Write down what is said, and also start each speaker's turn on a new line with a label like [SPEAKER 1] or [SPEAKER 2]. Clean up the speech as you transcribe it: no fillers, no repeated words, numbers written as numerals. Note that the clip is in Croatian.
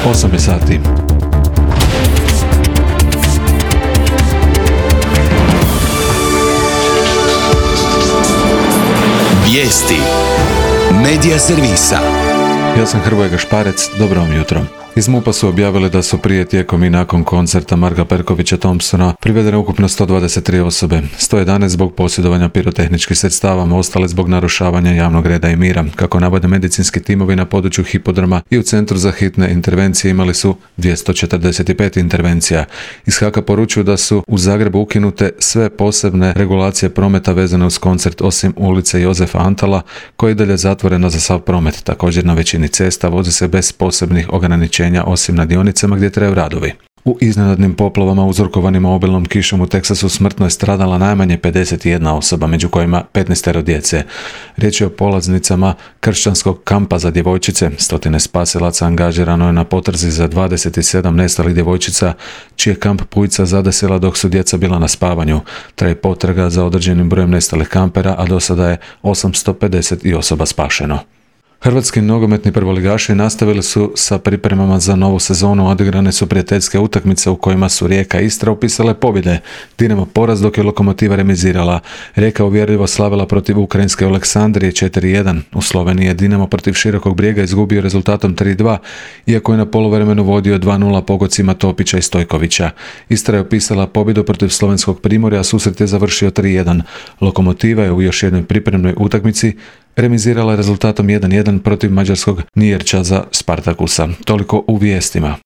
[SPEAKER 1] 8 je sati.
[SPEAKER 2] Vijesti Medija servisa.
[SPEAKER 1] Ja sam Hrvoje Gašparec, dobro vam jutro. Iz MUP-a su objavili da su prije, tijekom i nakon koncerta Marka Perkovića Thompsona privedene ukupno 123 osobe, 111 zbog posjedovanja pirotehničkih sredstava, ostale zbog narušavanja javnog reda i mira. Kako navode medicinski timovi na području hipodroma i u Centru za hitne intervencije imali su 245 intervencija. Iz HAK-a poručuju da su u Zagrebu ukinute sve posebne regulacije prometa vezane uz koncert osim ulice Jozefa Antala, koja je i dalje zatvorena za sav promet. Također na većini cesta vozi se bez posebnih ograničenja osim na dionicama gdje traju radovi. U iznenadnim poplavama uzrokovanim obilnom kišom u Teksasu smrtno je stradala najmanje 51 osoba, među kojima 15 djece. Riječ je o polaznicama kršćanskog kampa za djevojčice. Stotine spasilaca angažirano je na potrazi za 27 nestalih djevojčica, čiji je kamp pujica zadesila dok su djeca bila na spavanju. Traje potraga za određenim brojem nestalih kampera, a do sada je 850 osoba spašeno. Hrvatski nogometni prvoligaši nastavili su sa pripremama za novu sezonu. Odigrane su prijateljske utakmice u kojima su Rijeka i Istra upisale pobjede. Dinamo poraz dok je Lokomotiva remizirala. Rijeka uvjerljivo slavila protiv ukrajinske Aleksandrije 4-1. U Sloveniji je Dinamo protiv Širokog Brijega izgubio rezultatom 3-2, iako je na poluvremenu vodio 2-0 pogodcima Topića i Stojkovića. Istra je upisala pobjedu protiv slovenskog Primorja, a susret je završio 3-1. Lokomotiva je u još jednoj pripremnoj utakmici remizirala rezultatom 1-1 protiv mađarskog Nijerča za Spartakusa. Toliko u vijestima.